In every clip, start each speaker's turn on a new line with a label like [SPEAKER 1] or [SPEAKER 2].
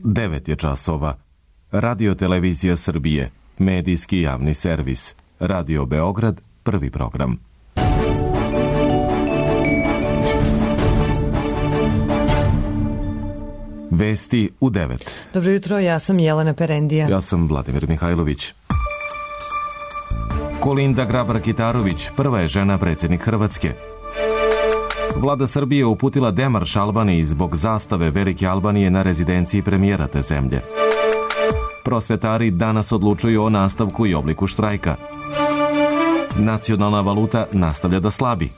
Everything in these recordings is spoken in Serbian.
[SPEAKER 1] 9 je časova. Radio Televizija Srbije, medijski javni servis. Radio Beograd, prvi program. Vesti u 9.
[SPEAKER 2] Dobro jutro, ja sam Jelena Perendija.
[SPEAKER 1] Ja sam Vladimir Mihajlović. Kolinda Grabar-Kitarović, prva je žena predsjednik Hrvatske. Vlada Srbije uputila demarš Albaniji zbog zastave Velike Albanije na rezidenciji premijera te zemlje. Prosvetari danas odlučuju o nastavku i obliku štrajka. Nacionalna valuta nastavlja da slabi.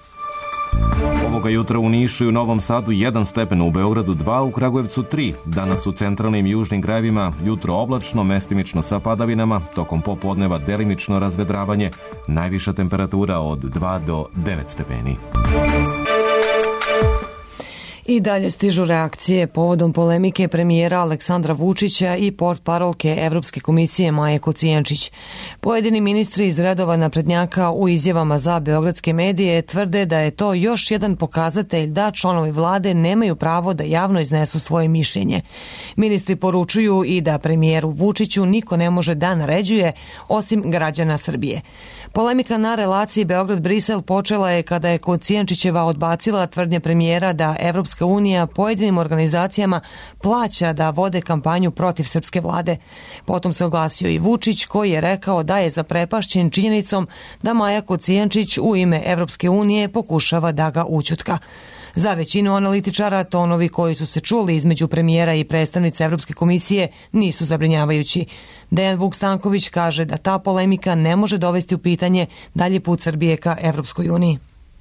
[SPEAKER 1] Ovoga jutra u Nišu i u Novom Sadu 1 stepen, u Beogradu 2, u Kragujevcu 3. Danas u centralnim i južnim krajevima jutro oblačno, mestimično sa padavinama, tokom popodneva delimično razvedravanje, najviša temperatura od 2 do 9 stepeni.
[SPEAKER 2] I dalje stižu reakcije povodom polemike premijera Aleksandra Vučića i portparolke Evropske komisije Maje Kocijančić. Pojedini ministri iz redova naprednjaka u izjavama za beogradske medije tvrde da je to još jedan pokazatelj da članovi vlade nemaju pravo da javno iznesu svoje mišljenje. Ministri poručuju i da premijeru Vučiću niko ne može da naređuje osim građana Srbije. Polemika na relaciji Beograd-Brisel počela je kada je Kocijančićeva odbacila tvrdnje premijera da Evropska unija pojedinim organizacijama plaća da vode kampanju protiv srpske vlade. Potom se oglasio i Vučić, koji je rekao da je zaprepašćen činjenicom da Maja Kocijančić u ime Evropske unije pokušava da ga ućutka. Za većinu analitičara tonovi koji su se čuli između premijera i predstavnice Evropske komisije nisu zabrinjavajući. Dejan Vuk Stanković kaže da ta polemika ne može dovesti u pitanje dalji put Srbije ka Evropskoj uniji.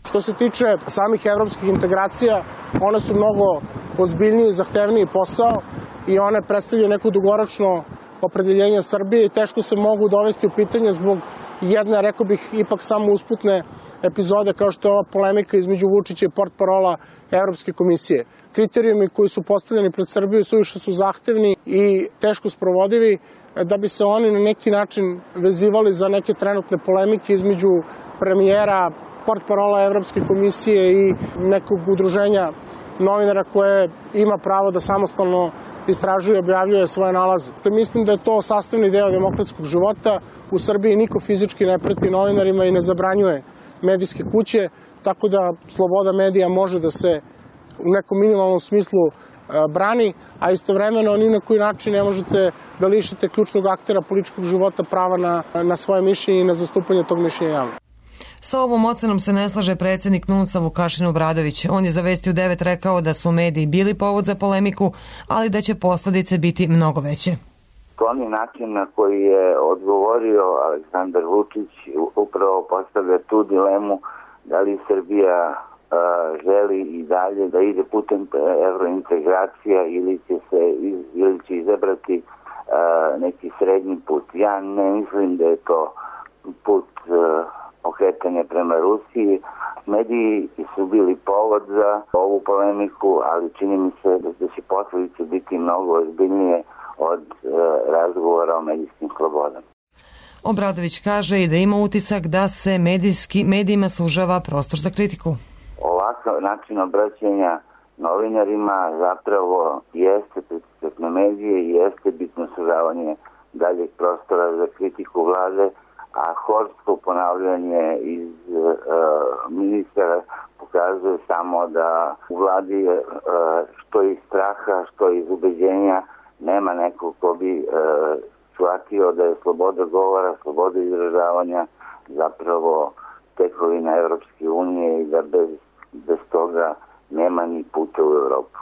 [SPEAKER 3] Što se tiče samih evropskih integracija, one su mnogo ozbiljniji i zahtevniji posao i one predstavljaju neko dugoročno opredeljenje Srbije i teško se mogu dovesti u pitanje zbog jedne, rekao bih, ipak samo usputne epizode kao što je ova polemika između Vučića i portparola Evropske komisije. Kriterijumi koji su postavljeni pred Srbiju suviše su zahtevni i teško sprovodivi da bi se oni na neki način vezivali za neke trenutne polemike između premijera, portparola Evropske komisije i nekog udruženja novinara koje ima pravo da samostalno istražuje i objavljuje svoje nalaze. Mislim da je to sastavni deo demokratskog života. U Srbiji niko fizički ne preti novinarima i ne zabranjuje medijske kuće, tako da sloboda medija može da se u nekom minimalnom smislu brani, a istovremeno ni na koji način ne možete da lišite ključnog aktera političkog života prava na svoje mišljenje i na zastupanje tog mišljenja javno.
[SPEAKER 2] Sa ovom ocenom se ne slaže predsjednik NUNS-a Vukašin Obradović. On je za Vesti u 9 rekao da su mediji bili povod za polemiku, ali da će posljedice biti mnogo veće.
[SPEAKER 4] Oni način na koji je odgovorio Aleksandar Vučić upravo postavlja tu dilemu da li Srbija želi i dalje da ide putem evrointegracija ili će izabrati neki srednji put. Ja ne mislim da je to put okretanja prema Rusiji. Mediji su bili povod za ovu polemiku, ali čini mi se da će posljedice biti mnogo ozbiljnije od razgovora o medijskim slobodama.
[SPEAKER 2] Obradović kaže i da ima utisak da se medijima sužava prostor za kritiku.
[SPEAKER 4] Ovakav način obraćanja novinarima zapravo jeste pritisak na medije i jeste bitno sužavanje daljeg prostora za kritiku vlade, a horsko ponavljanje iz ministara pokazuje samo da u vladi što iz straha, što iz ubeđenja nema nekog ko bi shvatio da je sloboda govora, sloboda izražavanja zapravo tekovina Evropske unije i da bez toga nema ni puta u Evropu.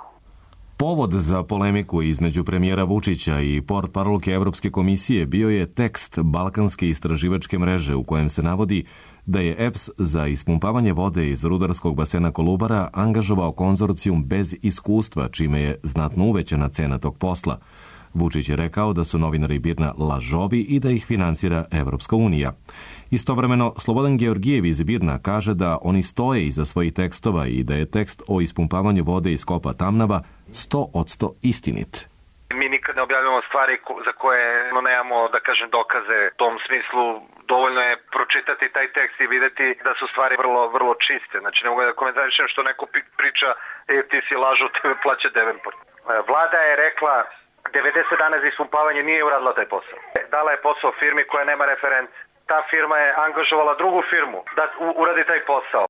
[SPEAKER 1] Povod za polemiku između premijera Vučića i portparolke Evropske komisije bio je tekst Balkanske istraživačke mreže u kojem se navodi da je EPS za ispumpavanje vode iz rudarskog basena Kolubara angažovao konzorcijum bez iskustva, čime je znatno uvećana cena tog posla. Vučić je rekao da su novinari BIRN-a lažovi i da ih finansira Evropska unija. Istovremeno, Slobodan Georgijev iz BIRN-a kaže da oni stoje iza svojih tekstova i da je tekst o ispumpavanju vode iz kopa Tamnava 100% istinit.
[SPEAKER 5] Mi nikad ne objavljamo stvari za koje nemamo, da kažem, dokaze. U tom smislu dovoljno je pročitati taj tekst i videti da su stvari vrlo čiste. Znači ne mogu da komentarišem što neko priča ti si lažu, tebe plaća Devenport. Vlada je rekla 90 dana za ispumpavanje nije uradila taj posao. Dala je posao firmi koja nema reference. Ta firma je angažovala drugu firmu da uradi taj posao.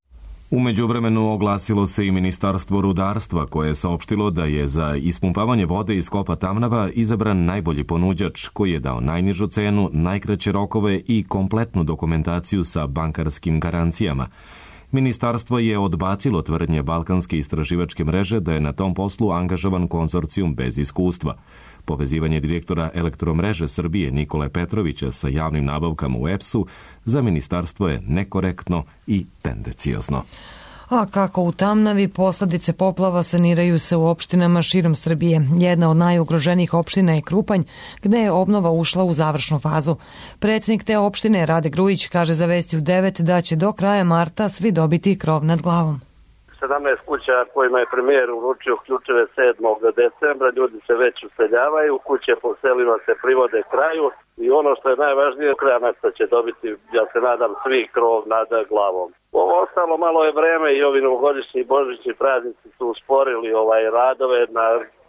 [SPEAKER 1] U međuvremenu oglasilo se i Ministarstvo rudarstva koje je saopštilo da je za ispumpavanje vode iz kopa Tamnava izabran najbolji ponuđač koji je dao najnižu cenu, najkraće rokove i kompletnu dokumentaciju sa bankarskim garancijama. Ministarstvo je odbacilo tvrdnje Balkanske istraživačke mreže da je na tom poslu angažovan konzorcijum bez iskustva. Povezivanje direktora Elektromreže Srbije Nikole Petrovića sa javnim nabavkama u EPS-u za ministarstvo je nekorektno i tendenciozno.
[SPEAKER 2] A kako u Tamnavi, posljedice poplava saniraju se u opštinama širom Srbije. Jedna od najugroženijih opština je Krupanj, gde je obnova ušla u završnu fazu. Predsjednik te opštine Rade Grujić kaže za Vesti u 9 da će do kraja marta svi dobiti krov nad glavom.
[SPEAKER 6] 17 kuća kojima je premijer uručio ključeve 7. decembra, ljudi se već useljavaju, kuće po selima se privode kraju i ono što je najvažnije, do kraja marta će dobiti, ja se nadam, svi krov nad glavom. Ovo ostalo malo je vreme i ovi novogodišnji i božićni praznici su usporili radove na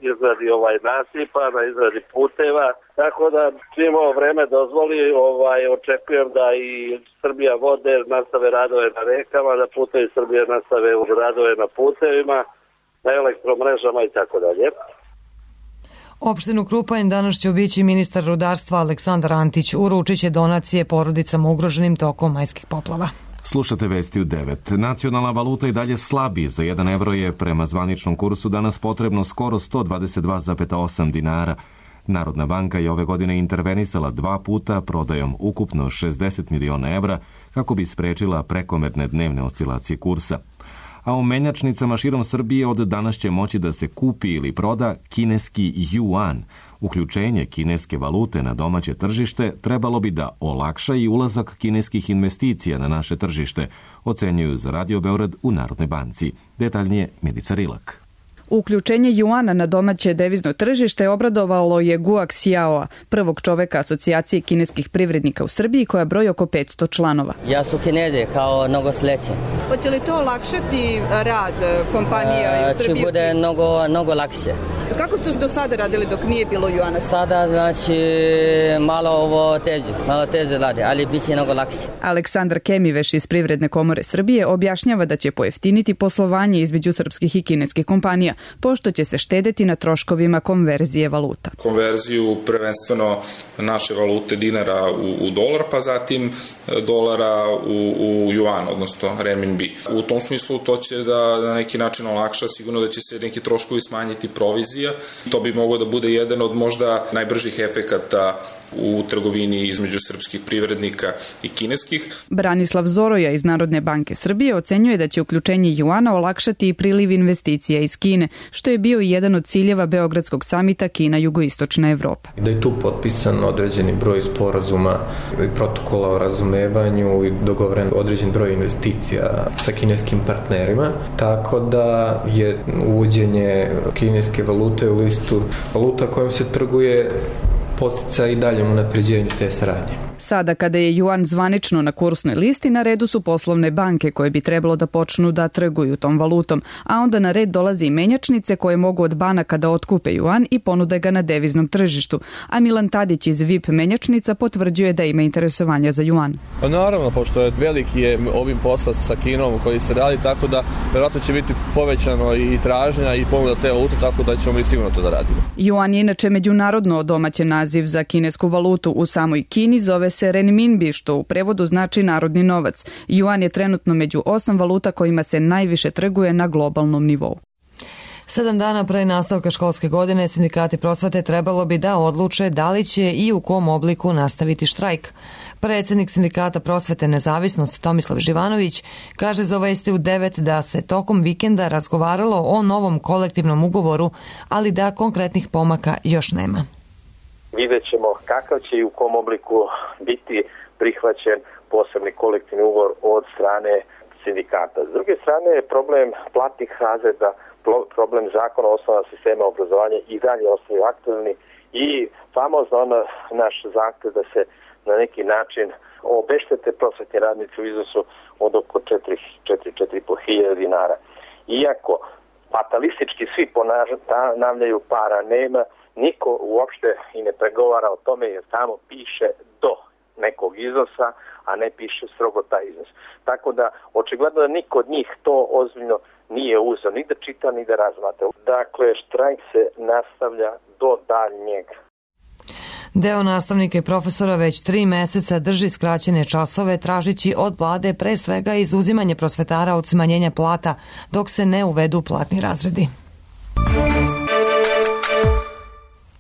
[SPEAKER 6] izradi nasipa, na izradi puteva, tako da čim ovo vreme dozvoli, očekujem da i Srbija vode nastave radove na rekama, da Putevi Srbije nastave radove na putevima, na elektromrežama i tako dalje.
[SPEAKER 2] Opštinu Krupanj danas će obići ministar rudarstva Aleksandar Antić. Uručit će donacije porodicama ugroženim tokom majskih poplava.
[SPEAKER 1] Slušate Vesti u 9. Nacionalna valuta i dalje slabi. Za 1 evro je prema zvaničnom kursu danas potrebno skoro 122,8 dinara. Narodna banka je ove godine intervenisala 2 puta prodajom ukupno 60 miliona evra kako bi sprečila prekomerne dnevne oscilacije kursa. A u menjačnicama širom Srbije od danas će moći da se kupi ili proda kineski juan. Uključenje kineske valute na domaće tržište trebalo bi da olakša i ulazak kineskih investicija na naše tržište, ocenjuju za Radio Beograd u Narodnoj banci. Detaljnije Milica Rilak.
[SPEAKER 7] Uključenje juana na domaće devizno tržište obradovalo je Guo Xiaoa, prvog čoveka asocijacije kineskih privrednika u Srbiji koja broji oko 500 članova.
[SPEAKER 8] Ja su Kinezi kao mnogo sleće.
[SPEAKER 7] Hoće li to olakšati rad kompanija u Srbiji?
[SPEAKER 8] Će bude mnogo lakše.
[SPEAKER 7] Kako ste do sada radili dok nije bilo juana?
[SPEAKER 8] Sada malo teže radi, ali bit će mnogo lakše.
[SPEAKER 7] Aleksandar Kemiveš iz Privredne komore Srbije objašnjava da će pojeftiniti poslovanje između srpskih i kineskih kompanija, pošto će se štedeti na troškovima konverzije valuta.
[SPEAKER 9] Konverziju prvenstveno naše valute dinara u dolar, pa zatim dolara u juan, odnosno renminbi. U tom smislu to će da na neki način olakša, sigurno da će se neki troškovi smanjiti provizija. To bi moglo da bude jedan od možda najbržih efekata u trgovini između srpskih privrednika i kineskih.
[SPEAKER 7] Branislav Zoroja iz Narodne banke Srbije ocenjuje da će uključenje juana olakšati i priliv investicija iz Kine, što je bio i jedan od ciljeva Beogradskog samita Kina-Jugoistočna Evropa.
[SPEAKER 10] Da je tu potpisan određeni broj sporazuma i protokola o razumevanju i dogovoren određen broj investicija sa kineskim partnerima, tako da je uvođenje kineske valute u listu valuta kojom se trguje postica i daljem unapređenju te saradnje.
[SPEAKER 7] Sada kada je juan zvanično na kursnoj listi, na redu su poslovne banke koje bi trebalo da počnu da trguju tom valutom, a onda na red dolaze i menjačnice koje mogu od banaka da otkupe juan i ponude ga na deviznom tržištu. A Milan Tadić iz VIP menjačnica potvrđuje da ima interesovanja za juan.
[SPEAKER 11] Naravno, pošto je veliki je ovim posla sa Kinom koji se radi, tako da vjerojatno će biti povećano i tražnja i ponuda te valute, tako da ćemo mi sigurno to da radimo.
[SPEAKER 7] Juan je inače međunarodno domaćen naziv za kinesku valutu. U samoj Kini zove se renminbi, što u prevodu znači narodni novac. Juan je trenutno među 8 valuta kojima se najviše trguje na globalnom nivou.
[SPEAKER 2] 7 dana pre nastavka školske godine sindikati prosvete trebalo bi da odluče da li će i u kom obliku nastaviti štrajk. Predsjednik sindikata prosvete Nezavisnost Tomislav Živanović kaže za Vesti u 9 da se tokom vikenda razgovaralo o novom kolektivnom ugovoru, ali da konkretnih pomaka još nema.
[SPEAKER 12] Vidjet ćemo kakav će i u kom obliku biti prihvaćen posebni kolektivni ugovor od strane sindikata. S druge strane je problem platnih razreda, problem zakona o osnovama sistema obrazovanja i dalje ostaju aktualni i famozno naš zahtev da se na neki način obeštete prosvetni radnici u iznosu od oko 4.500 dinara. Iako fatalistički svi ponavljaju para nema, niko uopšte i ne pregovara o tome jer tamo piše do nekog iznosa, a ne piše strogo taj iznos. Tako da, očigledno da niko od njih to ozbiljno nije uzeo, ni da čita, ni da razmatra. Dakle, štrajk se nastavlja do daljnjeg.
[SPEAKER 2] Deo nastavnika i profesora već 3 meseca drži skraćene časove tražići od vlade pre svega izuzimanje prosvetara od smanjenja plata dok se ne uvedu platni razredi.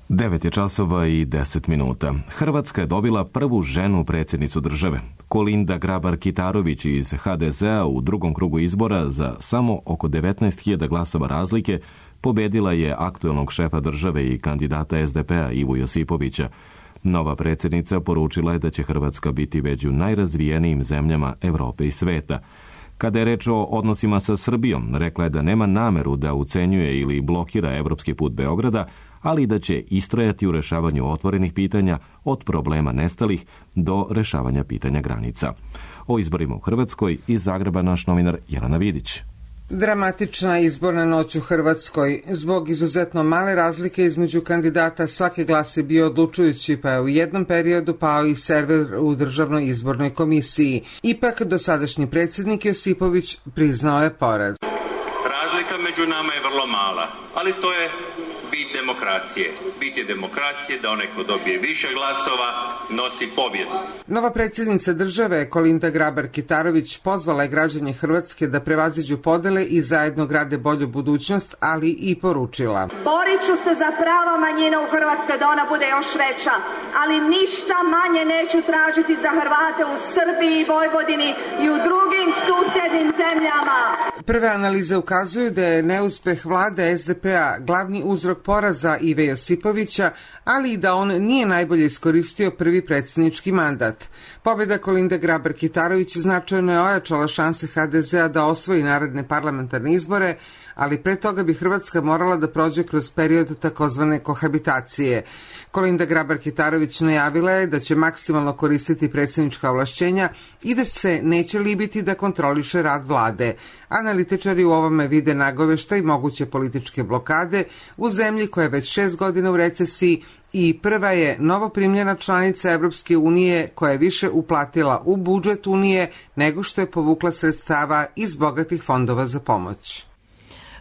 [SPEAKER 1] 9 je časova i 10 minuta. Hrvatska je dobila prvu ženu predsjednicu države. Kolinda Grabar-Kitarović iz HDZ-a u drugom krugu izbora za samo oko 19.000 glasova razlike pobedila je aktuelnog šefa države i kandidata SDP-a Ivu Josipovića. Nova predsjednica poručila je da će Hrvatska biti među najrazvijenijim zemljama Evrope i sveta. Kada je reč o odnosima sa Srbijom, rekla je da nema nameru da ucenjuje ili blokira evropski put Beograda, ali da će istrajati u rešavanju otvorenih pitanja od problema nestalih do rešavanja pitanja granica. O izborima u Hrvatskoj iz Zagreba naš novinar Jelena Vidić.
[SPEAKER 13] Dramatična izborna noć u Hrvatskoj. Zbog izuzetno male razlike između kandidata svaki glas je bio odlučujući, pa je u jednom periodu pao i server u Državnoj izbornoj komisiji. Ipak, dosadašnji predsjednik Josipović priznao je poraz.
[SPEAKER 14] Razlika među nama je vrlo mala, ali to je bit demokracije. Bit je demokracije da onaj ko dobije više glasova nosi pobjedu.
[SPEAKER 13] Nova predsjednica države Kolinda Grabar-Kitarović pozvala je građane Hrvatske da prevaziđu podele i zajedno grade bolju budućnost, ali i poručila:
[SPEAKER 15] borit ću se za prava manjina u Hrvatskoj da ona bude još veća, ali ništa manje neću tražiti za Hrvate u Srbiji i Vojvodini i u drugim susjednim zemljama.
[SPEAKER 13] Prve analize ukazuju da je neuspeh vlade SDP-a glavni uzrok poraza Ive Josipovića, ali i da on nije najbolje iskoristio prvi predsjednički mandat. Pobjeda Kolinde Grabar-Kitarović značajno je ojačala šanse HDZ-a da osvoji naredne parlamentarne izbore, ali pre toga bi Hrvatska morala da prođe kroz period takozvane kohabitacije. Kolinda Grabar-Kitarović najavila je da će maksimalno koristiti predsjednička ovlašćenja i da se neće libiti da kontroliše rad vlade. Analitičari u ovome vide nagoveštaj moguće političke blokade u zemlji koja je već 6 godina u recesiji i prva je novoprimljena članica Evropske unije koja je više uplatila u budžet Unije nego što je povukla sredstava iz bogatih fondova za pomoć.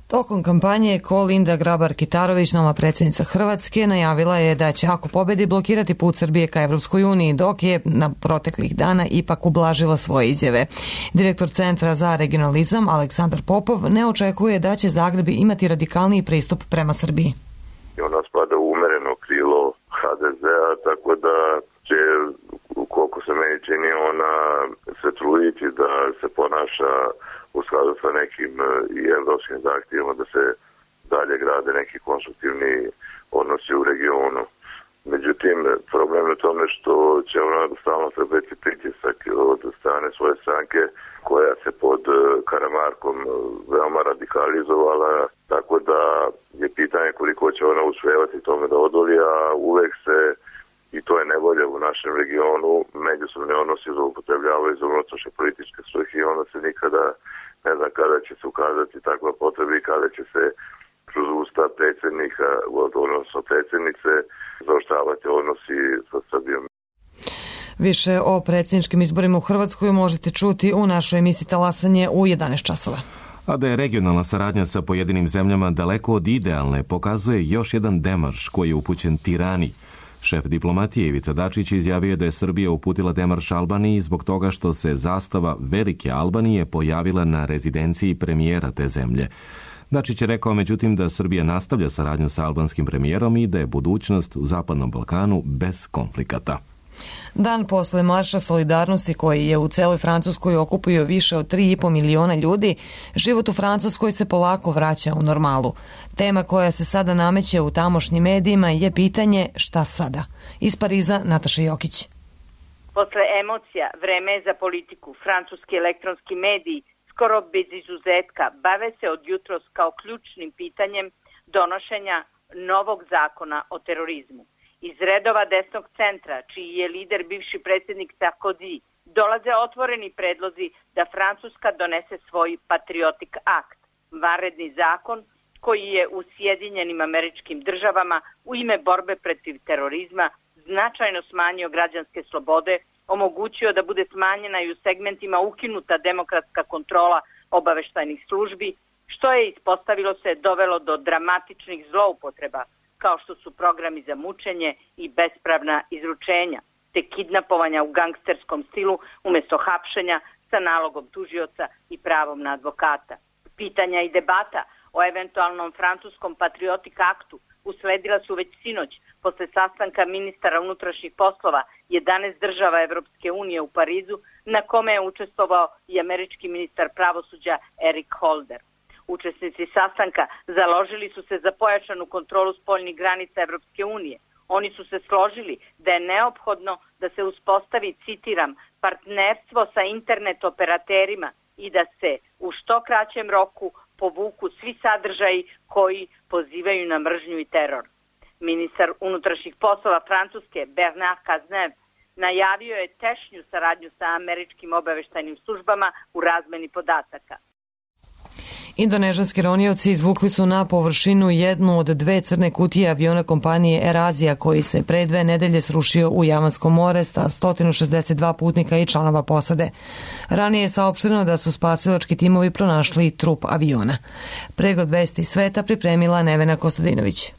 [SPEAKER 2] Tokom kampanje Kolinda Grabar-Kitarović, nova predsjednica Hrvatske, najavila je da će ako pobedi blokirati put Srbije ka Evropskoj uniji, dok je na proteklih dana ipak ublažila svoje izjave. Direktor Centra za regionalizam Aleksandar Popov ne očekuje da će Zagreb imati radikalniji pristup prema Srbiji.
[SPEAKER 16] Ona spada u umereno krilo HDZ-a, tako da će, koliko se meni čini, ona se truditi da se ponaša u skladu sa nekim i evropskim zahtjevima da se dalje grade neki konstruktivni odnosi u regionu. Međutim, problem je u tome što će ona stalno trpeti pritisak od strane svoje stranke koja se pod Karamarkom veoma radikalizovala, tako da je pitanje koliko će ona uspjevati tome da odoli, a uvek se, i to je nevolja u našem regionu, međusobne odnosi zloupotrebljavaju za unutrašnje političke svrhe i onda se nikada ne znam kada će se ukazati takva potreba i kada će se kroz usta predsjednika, odnosno predsjednice, zaoštravati odnosi sa Srbijom.
[SPEAKER 2] Više o predsjedničkim izborima u Hrvatskoj možete čuti u našoj emisiji Talasanje u 11 časova.
[SPEAKER 1] A da je regionalna saradnja sa pojedinim zemljama daleko od idealne, pokazuje još jedan demarš koji je upućen Tirani. Šef diplomatije Ivica Dačić izjavio da je Srbija uputila demarš Albaniji zbog toga što se zastava Velike Albanije pojavila na rezidenciji premijera te zemlje. Dačić je rekao međutim da Srbija nastavlja saradnju sa albanskim premijerom i da je budućnost u Zapadnom Balkanu bez konflikata.
[SPEAKER 2] Dan posle Marša solidarnosti koji je u celoj Francuskoj okupio više od 3,5 miliona ljudi, život u Francuskoj se polako vraća u normalu. Tema koja se sada nameće u tamošnjim medijima je pitanje šta sada. Iz Pariza Nataša Jokić.
[SPEAKER 17] Posle emocija, vreme je za politiku. Francuski elektronski mediji skoro bez izuzetka bave se od jutros kao ključnim pitanjem donošenja novog zakona o terorizmu. Iz redova desnog centra, čiji je lider bivši predsjednik Sarkozy, dolaze otvoreni predlozi da Francuska donese svoj patriotik akt, vanredni zakon koji je u Sjedinjenim Američkim Državama u ime borbe protiv terorizma značajno smanjio građanske slobode, omogućio da bude smanjena i u segmentima ukinuta demokratska kontrola obaveštajnih službi, što je, ispostavilo se, dovelo do dramatičnih zloupotreba, kao što su programi za mučenje i bespravna izručenja, te kidnapovanja u gangsterskom stilu umjesto hapšenja sa nalogom tužioca i pravom na advokata. Pitanja i debata o eventualnom francuskom patriotik aktu usledila su već sinoć posle sastanka ministara unutrašnjih poslova 11 država Evropske unije u Parizu, na kome je učestvovao i američki ministar pravosuđa Eric Holder. Učesnici sastanka založili su se za pojačanu kontrolu spoljnih granica Evropske unije. Oni su se složili da je neophodno da se uspostavi, citiram, partnerstvo sa internet operaterima i da se u što kraćem roku povuku svi sadržaji koji pozivaju na mržnju i teror. Ministar unutrašnjih poslova Francuske Bernard Cazeneuve najavio je tešnju saradnju sa američkim obaveštajnim službama u razmeni podataka.
[SPEAKER 2] Indonežanski ronioci izvukli su na površinu jednu od dve crne kutije aviona kompanije AirAsia koji se pre 2 nedelje srušio u Javansko more sa 162 putnika i članova posade. Ranije je saopšteno da su spasilački timovi pronašli trup aviona. Pregled vesti sveta pripremila Nevena Kostadinović.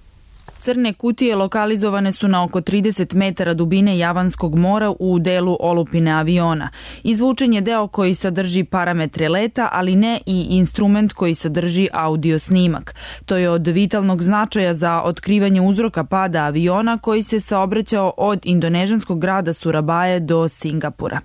[SPEAKER 18] Crne kutije lokalizovane su na oko 30 metara dubine Javanskog mora u delu olupine aviona. Izvučen je deo koji sadrži parametre leta, ali ne i instrument koji sadrži audio snimak. To je od vitalnog značaja za otkrivanje uzroka pada aviona koji se saobraćao od indonežanskog grada Surabaje do Singapura.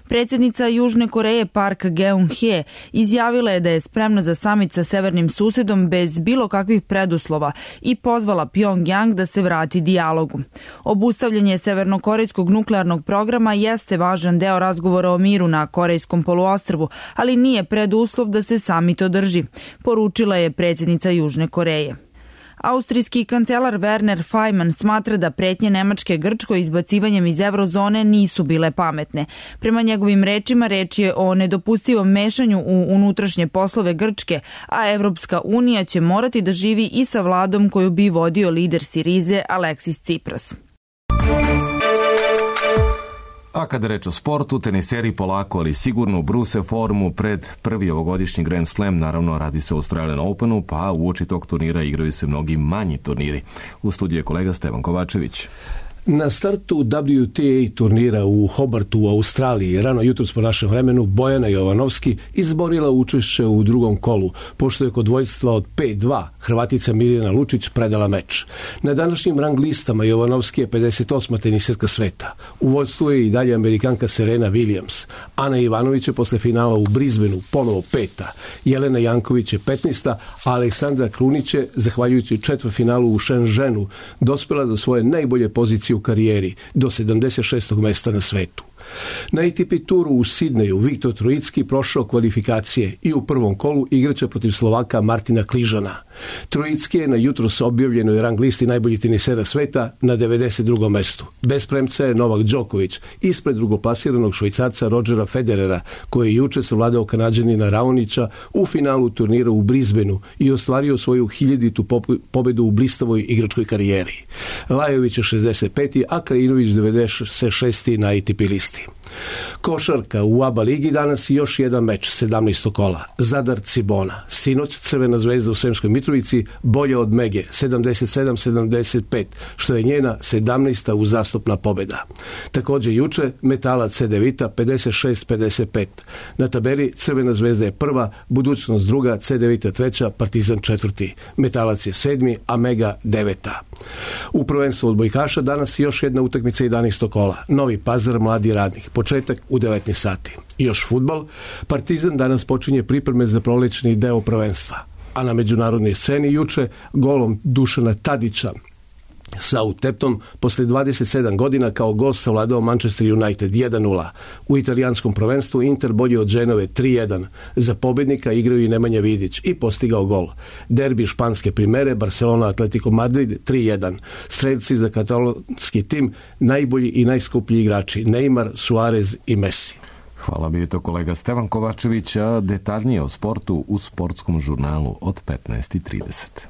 [SPEAKER 18] Predsjednica Južne Koreje Park Geun-hye izjavila je da je spremna za samit sa severnim susedom bez bilo kakvih preduslova i pozvala Pyongyang da se vrati dijalogu. Obustavljanje severnokorejskog nuklearnog programa jeste važan deo razgovora o miru na Korejskom poluostrvu, ali nije preduslov da se samit održi, poručila je predsjednica Južne Koreje. Austrijski kancelar Werner Faymann smatra da pretnje Nemačke Grčkoj izbacivanjem iz eurozone nisu bile pametne. Prema njegovim rečima, reč je o nedopustivom mešanju u unutrašnje poslove Grčke, a Evropska unija će morati da živi i sa vladom koju bi vodio lider Sirize Aleksis Tsipras.
[SPEAKER 1] A kada reč o sportu, teniseri polako, ali sigurno bruse formu pred prvi ovogodišnji Grand Slam, naravno radi se o Australian Openu, pa uoči tog turnira igraju se mnogi manji turniri. U studiju je kolega Stevan Kovačević.
[SPEAKER 19] Na startu WTA turnira u Hobartu u Australiji rano jutros po našem vremenu Bojana Jovanovski izborila učešće u drugom kolu, pošto je kod dvojstva od 5-2 Hrvatica Mirjana Lučić predala meč. Na današnjim rang listama Jovanovski je 58. teniserka sveta. U vodstvu je i dalje Amerikanka Serena Williams. Ana Ivanović je posle finala u Brisbaneu ponovo 5. Jelena Janković je 15. a Aleksandra Krunić je, zahvaljujući četvrtfinalu u Shenzhenu, dospela do svoje najbolje pozicije u karijeri, do 76. mesta na svetu. Na ATP turu u Sidneju Viktor Trojicki prošao kvalifikacije i u prvom kolu igraće protiv Slovaka Martina Kližana. Trojicki je na jutros objavljenoj rang listi najboljih tenisera sveta na 92. mestu. Bez premca je Novak Đoković ispred drugoplasiranog Švajcarca Rodgera Federera, koji je juče savladao Kanađanina Raonića u finalu turnira u Brisbaneu i ostvario svoju 1000. pobedu u blistavoj igračkoj karijeri. Lajović je 65. a Krajinović 96. na ATP listi. Košarka u ABA ligi danas i još jedan meč 17. kola. Zadar Cibona. Sinoć Crvena zvezda u Sremskoj Mitrovici bolja od Mege 77-75, što je njena 17. uzastopna pobjeda. Također juče Metalac C9 56-55. Na tabeli Crvena zvezda je prva, Budućnost druga, C9 treća, Partizan četvrti. Metalac je 7. a Mega 9. U prvenstvu odbojkaša danas još jedna utakmica 11. kola. Novi Pazar Mladi Radnik. Početak u 19 sati. I još fudbal. Partizan danas počinje pripreme za prolećni deo prvenstva. A na međunarodnoj sceni juče golom Dušana Tadića Southampton posle 27 godina kao gost savladao Manchester United 1-0. U italijanskom prvenstvu Inter bolje od Genove 3-1. Za pobednika igraju i Nemanja Vidić i postigao gol. Derbi španske primere Barcelona Atletico Madrid 3-1. Strelci za katalonski tim najbolji i najskuplji igrači Neymar, Suarez i Messi.
[SPEAKER 1] Hvala, bio je to kolega Stevan Kovačević, a detaljnije o sportu u sportskom žurnalu od 15:30.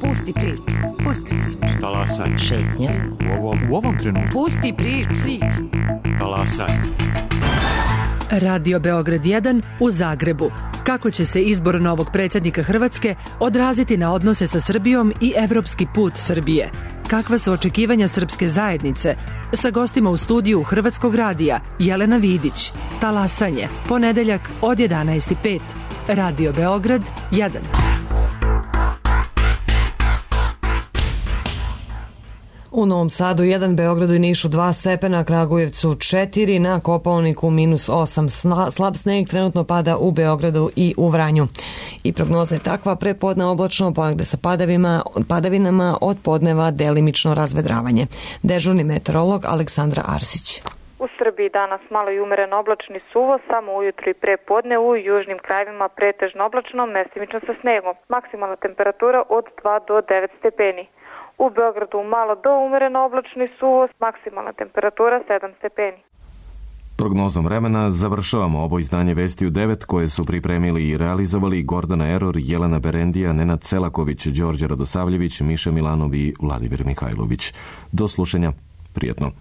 [SPEAKER 20] Pusti priču. Pusti priču.
[SPEAKER 21] Talasaj.
[SPEAKER 20] Šetnja.
[SPEAKER 21] U ovom trenutku.
[SPEAKER 20] Pusti priču.
[SPEAKER 21] Talasaj.
[SPEAKER 22] Radio Beograd 1 u Zagrebu. Kako će se izbor novog predsjednika Hrvatske odraziti na odnose sa Srbijom i evropski put Srbije? Kakva su očekivanja srpske zajednice? Sa gostima u studiju Hrvatskog radija Jelena Vidić. Talasanje. Ponedeljak od 11:05. Radio Beograd 1.
[SPEAKER 2] U Novom Sadu 1, Beogradu i Nišu 2 stepena, Kragujevcu 4, na Kopaoniku -8. Slab sneg trenutno pada u Beogradu i u Vranju. I prognoza je takva: prepodne oblačno, ponegde sa padavinama, od podneva delimično razvedravanje. Dežurni meteorolog Aleksandra Arsić.
[SPEAKER 23] U Srbiji danas malo i umeren oblačni suvo, samo ujutro i prepodne u južnim krajevima pretežno oblačno, mestimično sa snegom. Maksimalna temperatura od 2 do 9 stepeni. U Beogradu malo do umereno oblačni suvo, maksimalna temperatura 7 stepeni.
[SPEAKER 1] Prognozom vremena završavamo ovo izdanje Vesti u 9 koje su pripremili i realizovali Gordana Eror, Jelena Berendija, Nenad Celaković, Đorđe Radosavljević, Miša Milanov i Vladimir Mihajlović. Do slušanja. Prijetno.